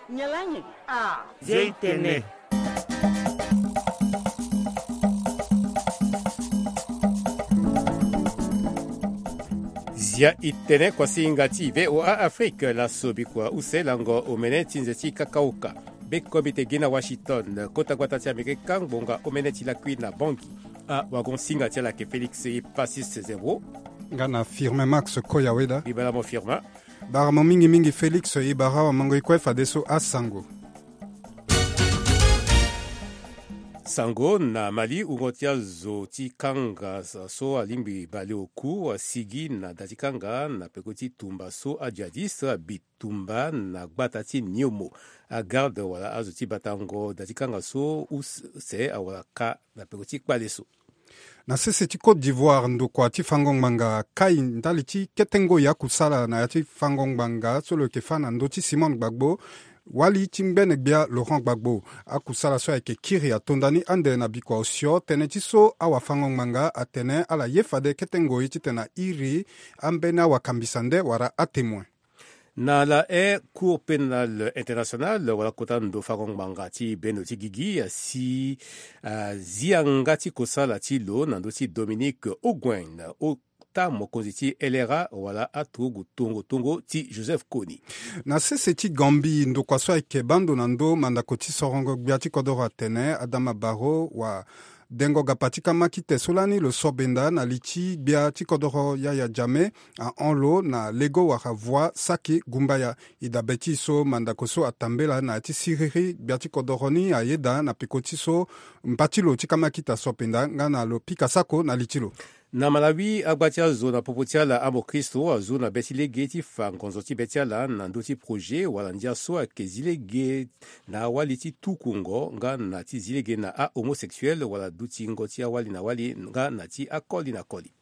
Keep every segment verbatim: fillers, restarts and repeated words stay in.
Nyalange. Ah, Zia itene. Zia itene kuasinga ti V O A Afrique, laso bikua use lango omene ti nze ti kakaoka. Be komite gi na Washington, kota gbata ti Amerika ngbonga omene ti lakui na Bangui. Awagon singa ti ala ayeke Félix Epasis Zembro. Nga na Firmin Max Koyaweda. Bibala mo Firmin. Bara mo mingi mingi Félix, e bara awamango e kue fadeso asango. Sango na Mali, wungo ti azo ti kanga so alingbi baleoku asigi na da ti kanga na peko ti tumba so ajihadiste abi tumba na gbata ti Niomo. Agarde wala azo ti batango da ti kanga so use awara ka na peko ti kpale so. Na sese ti Côte d'Ivoire, ndokua ti fango ngbanga akai ndali ti kete ngoi akusala na ya ti fango ngbanga so lo yeke fâ na ndö ti Simone Gbagbo. Wali ti ngbene gbia Laurent Gbagbo. Akusala so ayeke kiri atonda ni ande na bikua osio tënë ti so awafango ngbanga atene ala ye fade kete ngoi titene airi ambeni awakambisa nde wala atemoin. Na la e Cour pénale internationale wala kota ndo fango ngbanga ti bendo ti gigi asi azia nga ti kosala ti lo na ndö ti Dominique Onguen, ota mokonzi ti L R A wala aturugu tongo tongo ti Joseph Kony. Na sese ti Gambie, ndokua so ayeke baa ndo na ndö mandako ti sorongo gbia ti kodoro atene Adama Barrow wa dengo gapa ti kamakite so lani lo so benda na li ti gbia ti kodoro Yaya Jammeh ahon lo na lego wala voie saki gumbaya. E dabe ti e so mandako so atambela na ya ti siriri gbia ti kodoro ni ayeda na peko ti so mba ti lo ti kamakite aso penda nga na lo pika sako na li ti lo. Na Malawi, agba ti azo na popo ti ala amokristo azu na be ti lege ti fa ngonzo ti be ti ala na ndö ti projet wala ndia so ayeke zi lege na awali ti tukungo nga na ti zi lege na ahomosexuel wala dutingo ti awali na wali nga na ti akoli na koli.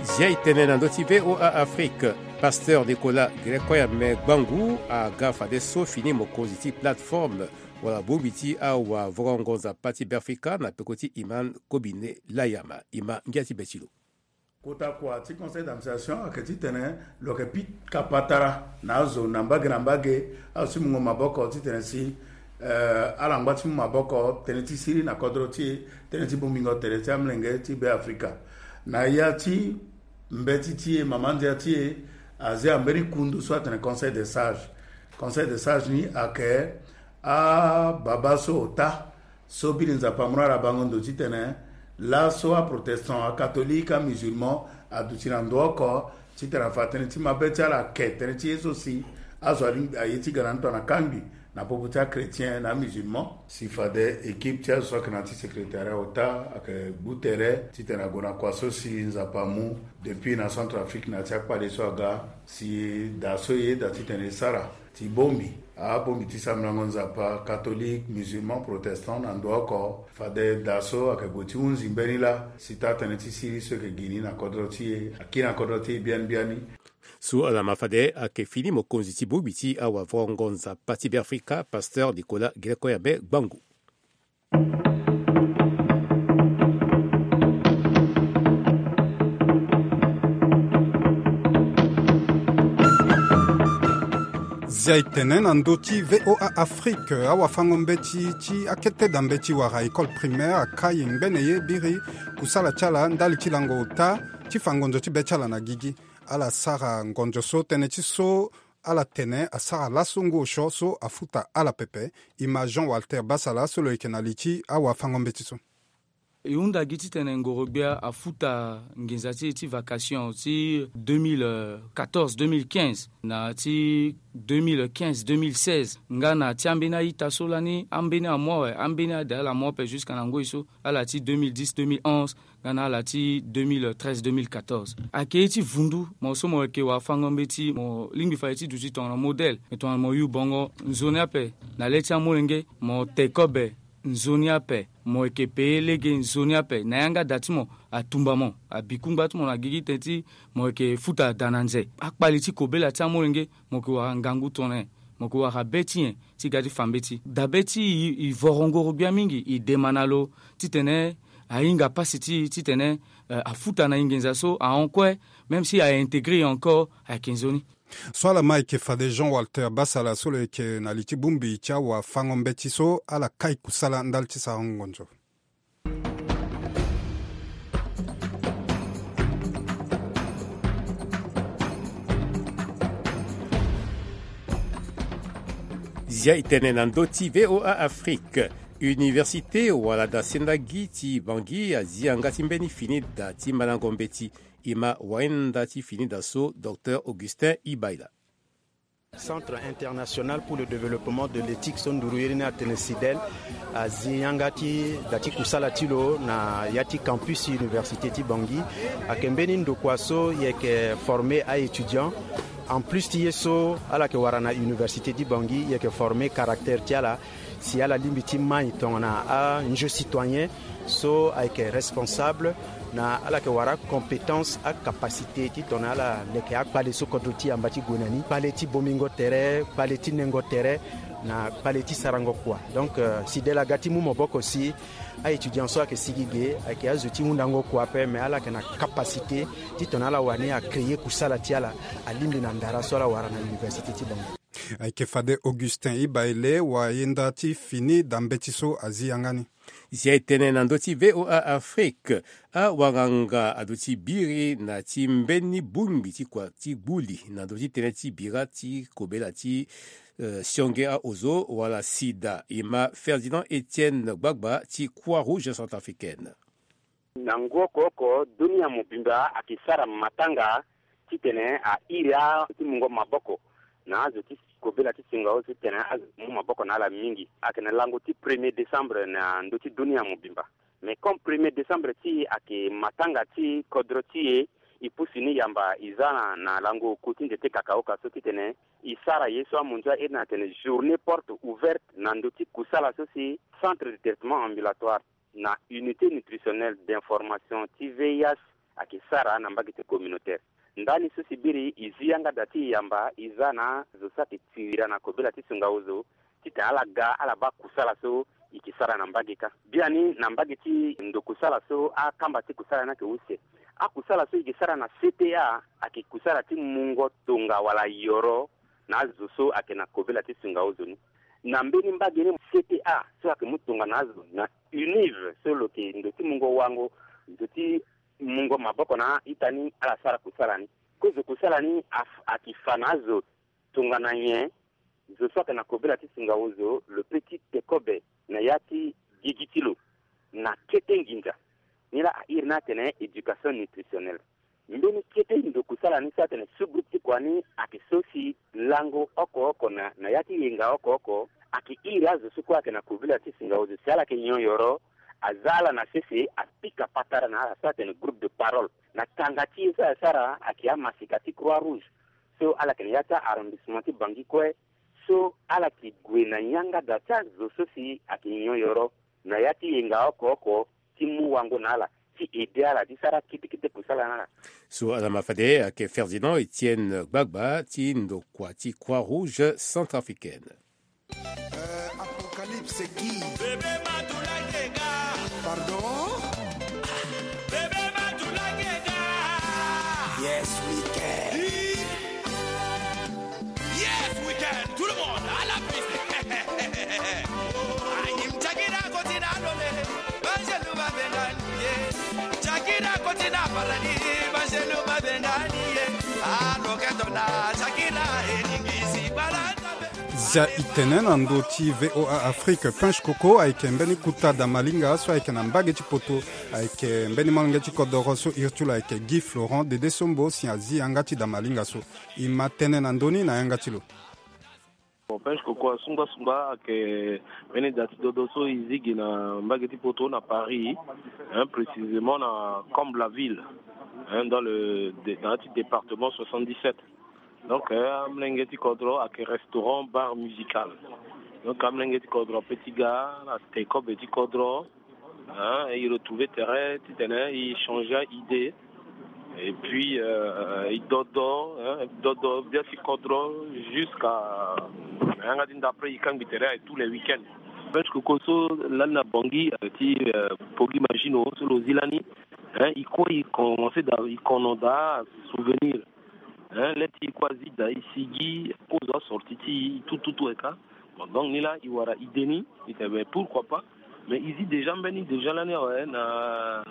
Zia e tene na ndö ti V O A Afrique. Pasteur Nicolas Grecoyame Gbangu aga fadeso fini mokonzi ti plateforme wala bongbi ti awavurongo nzapa ti Beafrika na peko ti Iman Kobine Layama. Iman ngia ti be ti lo. Kota kua ti conseil d'administration ayeke titene lo yeke pika patara na azo na mbage na mbage, azo ti mungo maboko titene si eh, ala ngba ti mu maboko tënë ti siri na kodro ti e, tënë ti bongbingo tere ti amolenge ti Beafrika. Na ya ti mbeti ti e, mama ndia ti e azia mbeni kundu so atene Conseil des Sages. Conseil des Sages ni ayeke ababa so ota so biri Nzapa amu na ala bango ndo titene laso aprotestant, akatholike, amusulman aduti na ndo oko titene afa tënë ti mabe ti ala ake tënë ti ye so si azo alingbi aye ti ga na ndo na kangbi na popo ti achrétien na amusulman. Si fade équipe ti azo so ayeke na ya ti secrétariat ota ayeke gbu tere titene ague na kua so si Nzapa amu depuis na Centrafrique na ya ti akpale so aga, si da so e yeda titene e sara ti bongbi abongbi ti sambelango Nzapa, catholique, musulman, protestant na ndo oko. Fade da so ayeke gue ti hunzi mbeni laa si taa tënë ti siri so e yeke gi ni na kodro ti e akiri na kodro ti e biani biani. So ala ma fade ayeke fini mokonzi ti bongbi ti awavurongo nzapa ti Beafrika, pasteur Nicolas Grecoyame Gbangu. Zia e tene na ndö ti V O A Afrique, awafango mbeti ti akete da mbeti wala école primaire akai ngbene ye biri kusala ti ala ndali ti lango ota ti fa ngonzo ti be ti ala na gigi. Ala sara ngonzo so tënë ti so ala tene asara laso ngu osio so afuta ala pepe. E ma Jean Walter Basala so lo yeke na li ti awafango mbeti so. E hunda gi titene ngoro-gbia afuta nginza ti e ti vacation ti deux mille quatorze, deux mille quinze na ti deux mille quinze, deux mille seize nga na ti ambeni a-ita so lani ambeni amois awe, ambeni ade ala mu ape jusqu'à na ngoi so ala ti deux mille dix, deux mille onze nga na ala ti deux mille treize, deux mille quatorze. Ayeke ye ti vundu mo so mo yeke wafango mbeti, mo lingbi fa ye ti duti tongana modèle, me tongana mo yu bongo nzoni ape na le ti amolenge, mo te kobe nzoni ape, mo yeke peye lege nzoni ape na yanga da ti mo atumba mo, abi kungba ti mo na gigi tënë ti mo yeke futa da na nze. Akpali ti kobela ti amolenge, mo yeke wara ngangu tongana nyen? mo yeke wara be ti nyen ti ga ti fa mbeti. Dabe ti e, e voro ngoro gbia mingi, e dema na lo titene ahinga pasi ti e titene, eh, afuta na e nginza so ahon kue, même si a intégrer e encore, ayeke nzoni. So ala ma ayeke fade Jean Walter Basala so lo yeke na li ti bongbi ti awafango-mbeti so ala kai kusala ndali ti sarango ngonzo. Zia e tene na ndö ti V O A Afrique. Université wala da senda gi ti Bangui azi yanga ti mbeni fini da ti mandango mbeti. E ma wahinda ti fini da so, Docteur Augustin Ibaila. Centre international pour le développement de l'éthique so nduru iri ni atene CIDEL azi yanga ti da ti kusala ti lo na ya ti campus université ti Bangui. Ayeke mbeni ndokua so e yeke former a-étudiant. En plus ti ye so ala yeke wara na université ti Bangui, e yeke former caractère ti ala si ala lingbi ti mai tongana anjeu citoyen so ayeke responsable, na ala yeke wara compétence, acapacité ti tongana ala leke akpale so kodro ti e amba ti gue na ni, kpale ti bongbingo tere, kpale ti nengo tere, na kpale ti sarango kua. Donc, euh, CIDEL aga ti mu maboko si a-étudiant so ayeke sigi ge ayeke azo ti hundango kua ape, mais ala yeke na capacité ti tongana ala wani acréer kusala ti ala, alingbi na ndara so ala wara na université ti bango. Ayeke fade Augustin Ibaile, wayenda ti fini da mbeti so azi yanga ni. Zia e tene na ndö ti V O A Afrique, awanganga aduti biri na ti mbeni bongbi ti kua ti gbu li na ndö ti tënë ti bira ti kobela ti, eh, sionge aozo wala sida. E ma Ferdinand Etienne Gbagba ti Croix Rouge Centrafricaine. Na ngu oko oko, dunia mobimba ayeke sara matanga titene a iri azo ti mungo maboko na azo ti kobela ti singa ozo titene azo mu maboko na ala mingi. Ayeke na lango ti premier décembre na ndö ti dunia mobimba. Mais comme premier décembre ti e ayeke matanga ti kodro ti e, e pusu ni yamba e za na, na lango oku ti nze ti kakaoka so titene e sara ye so amonzo airi ni atene journée porte ouverte na ndö ti kusala so si centre de traitement ambulatoire na unité nutritionnelle d'information ti V I H ayeke sara na mbage ti communautaire. Ndani so si biri e zi yanga da ti e yamba e za na zo so ayeke tiri na kobela ti singa ozo titene ala ga ala baa kusala so e yeke sara na mbage kâ. Biani na mbage ti ndo kusala so akamba ti kusala ni ayeke use. Akusala so e yeke sara na C T A ayeke kusala ti mungo tonga wala yoro na azo so ayeke na kobela ti singa ozo ni. Na mbeni mbage ni C T A so ayeke mu tonga na azo na UNIV so lo yeke ndo ti mungo wango, ndo ti mungo maboko na ita ni ala sara kusala ni. Kozo kusala ni af-, ayeke fa na azo tongana nyen? Zo so ayeke na kobela ti singa ozo lo peut ti te kobe na ya ti gigi ti lo na kete nginza. Ni laa a iri ni atene éducation nutritionnelle. Mbeni kete ndo kusala ni so atene sous-groupe ti kua ni ayeke so si lango oko oko na, na ya ti yenga oko oko ayeke iri azo so kue ayeke na kobela ti singa ozo si ala yeke nyon yoro, aza ala na sese apika patara na ala so atene groupe de parole. Na tanga ti ye so asara ayeke amasika ti Croix Rouge so ala yeke na ya ti arrondissement ti Bangui kue, so ala yeke gue na yanga da ti azo so si ayeke nyon yoro na ya ti yenga oko oko ti mu wango na ala, ti aider ala ti sara kete kete kusala na ala. So ala ma fade ayeke Ferdinand Etienne Gbagba ti ndokua ti Croix Rouge Centrafricaine. Euh, Apocalypse qui? Bébé Matoula Gega. Pardon? Bébé Matoula Gega. Yes, we can. Yes, we can. Tout le monde, à la piste. Ayim Shakira Kotina Lole. Banjelu Babengani. Shakira Kotina Paradis. Banjelu Babengani. Ah, Loketona. Shakira. Elingisi Balata. Zia e tene na ndö ti V O A Afrique, Pinche Coco ayeke mbeni kota da malinga so ayeke na mbage ti poto. Ayeke mbeni molenge ti kodoro so iri ti lo ayeke Guy Florent Dede Sombo si azi yanga ti da malinga so. E ma tene na ndö ni na yanga ti lo. Bon, Pinche Coco asungba sungba ayeke mbeni da ti dodo so e zi gi na mbage ti poto na Paris, hein, précisément na Comble la Ville, hein, dans le, de-, dans le département soixante-dix-sept. Donc, euh, amolenge ti kodro ayeke restaurant bar musical. Donc, amolenge ti kodro ape ti ga na te kobe ti kodro, hein, e retrouver terrain titene e changer idée. Et puis, euh, e dodo, hein, dodo gbia ti kodro jusqu'à Na yanga ti nda après i kangbi tere aye tous les week-ends. Punch Koko so lani na Bangui, euh, ti, euh, Poggy Magino so lo zi lani, hein, i kue i commencé da, i kono da souvenir. Hein, le ti i kue azi da i sigi, kozo asorti ti i tout, tout, tout, et ça. Bon, donc ni la i wara idée ni, i tene pourquoi pas. Mais i zi déjà mbeni déjà lani awe na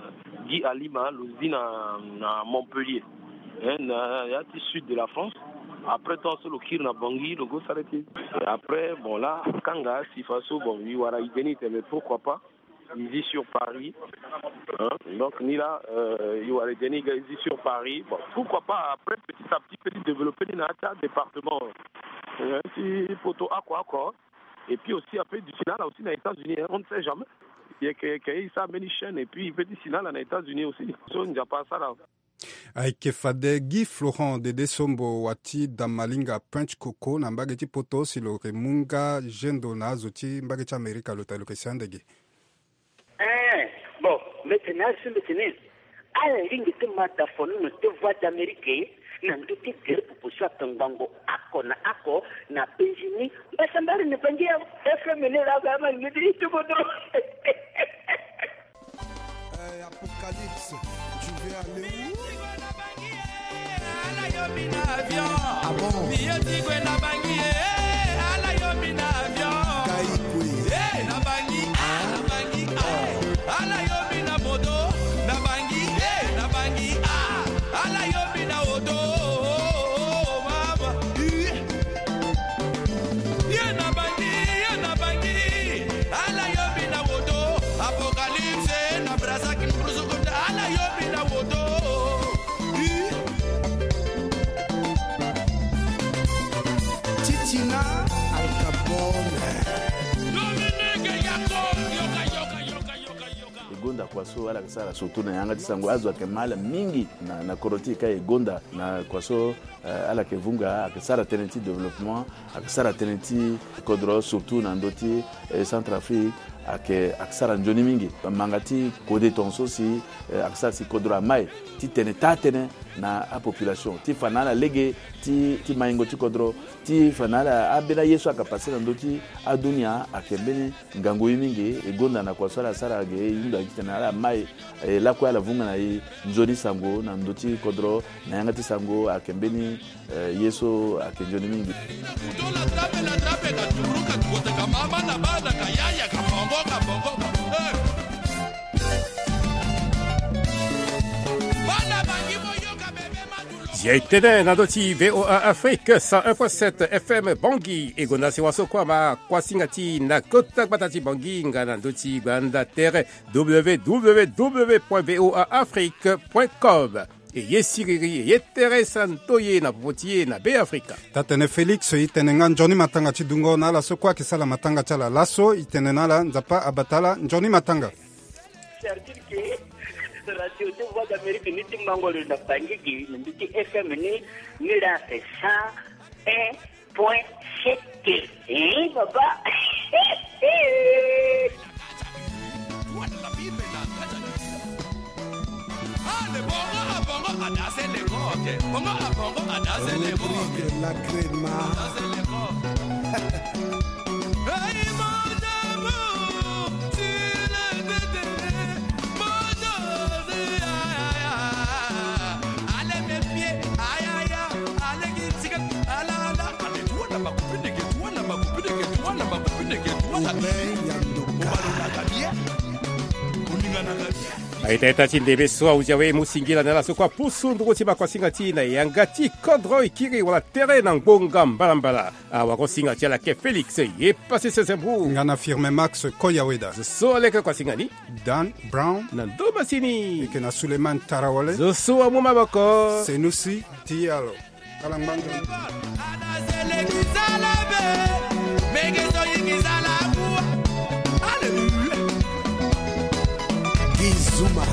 Guy Alima, lo zi na, na Montpellier. Hein, na ya ti sud de la France. Après temps so lo kiri na Bangui, lo go s'arrêter. Et après, bon, là, kanga si faso, bon, i wara idée ni, i tene pourquoi pas. I zi sur Paris. Hein? Donc ni la, euh, i wara idée ni, i zi sur Paris. Bon, pourquoi pas après, petit à petit, petit développer ni na ya ti département. Hein, ti poto oko oko. Et puis aussi, après, d'ici là, là aussi, na États-Unis, hein, on ne sait jamais. Yeke, yeke, i sa mbeni chaîne, et puis, i peut d'ici là, là, na États-Unis aussi. So, Nzapa asara. Ayeke fade Guy Florent Dede Sombo wa ti Damalinga Punch Koko na mbage ti poto si lo yeke mu nga gendo na azo ti mbage ti Amerika lo ta lo yeke si andege. Eh, bon, mbi tene asi mbi tene. Ala lingbi ti ma da fonono ti Voix d'Amérique na ndö ti gere proposition atongbango oko na oko na penzi ni. Mbasambara na Bangui awe. F M ni la ga ma lingbi ti ti kodro. Eh, Apocalypse, tu veux aller où? Ah bon? Kaikwe. Titina Al Capone. E gonda kua so ala yeke sara surtout na yanga ti sango, azo ayeke ma ala mingi na, na kodro ti e ka e gonda na kua so, eh, ala yeke vunga, ayeke sara tënë ti développement, ayeke sara tënë ti kodro surtout na ndö ti, eh, Centrafrique, ayeke, ayeke sara nzoni mingi. Manga ti kode tongaso si, eh, ayeke sara si kodro amai ti tene taa tënë na apopulation ti fa na ala lege ti, ti maingo ti kodro, ti fa na ala ambeni aye so ayeke pase na ndö ti adunia ayeke mbeni ngangu ye mingi. E gonda na kua so ala sara ge e hunda gi titene ala mai, e lakue ala vunga na e nzoni sango na ndö ti kodro na yanga ti sango ayeke mbeni, eh, ye so ayeke nzoni mingi. Zia e tene na ndö ti V O A Afrique cent un point sept F M Bangui. E gonda si wa so kue ama kuasinga ti e na kota gbata ti Bangui nga na ndö ti gbanda tere W W W point V O A Afrique point com. E ye siriri, e ye tere santo ye na popo ti e na Be Afrika. Taa-tene Félix, e tene nga nzoni matanga ti dungo na ala so kue ayeke sara matanga ti ala laso. E tene na ala Nzapa abata ala nzoni matanga. C'est-à-dire que Radio de Voix d'Amérique ni ti mango lo na Bangui gi na ndö ti F M ni, ni la cent un point sept. Hein, papa? Rodrigue Lacrema. Aita ita ti ndembe so ahuzi awe, mu singila na ala so kue apusu nduru ti makuasinga ti e na yanga ti kodro, e kiri wala tere na ngbonga mbalambala. Awagosinga ti ala ke Félix ye pasi sese mbu. Nga na Firme Max Koyaweda. Zo so aleke kuasinga ni. Dan Brown. Na ndo masini. Eke na Suleiman Tarawale. Zo so amu maboko. Senusi Diallo. Ala ngbanga. Gizuma.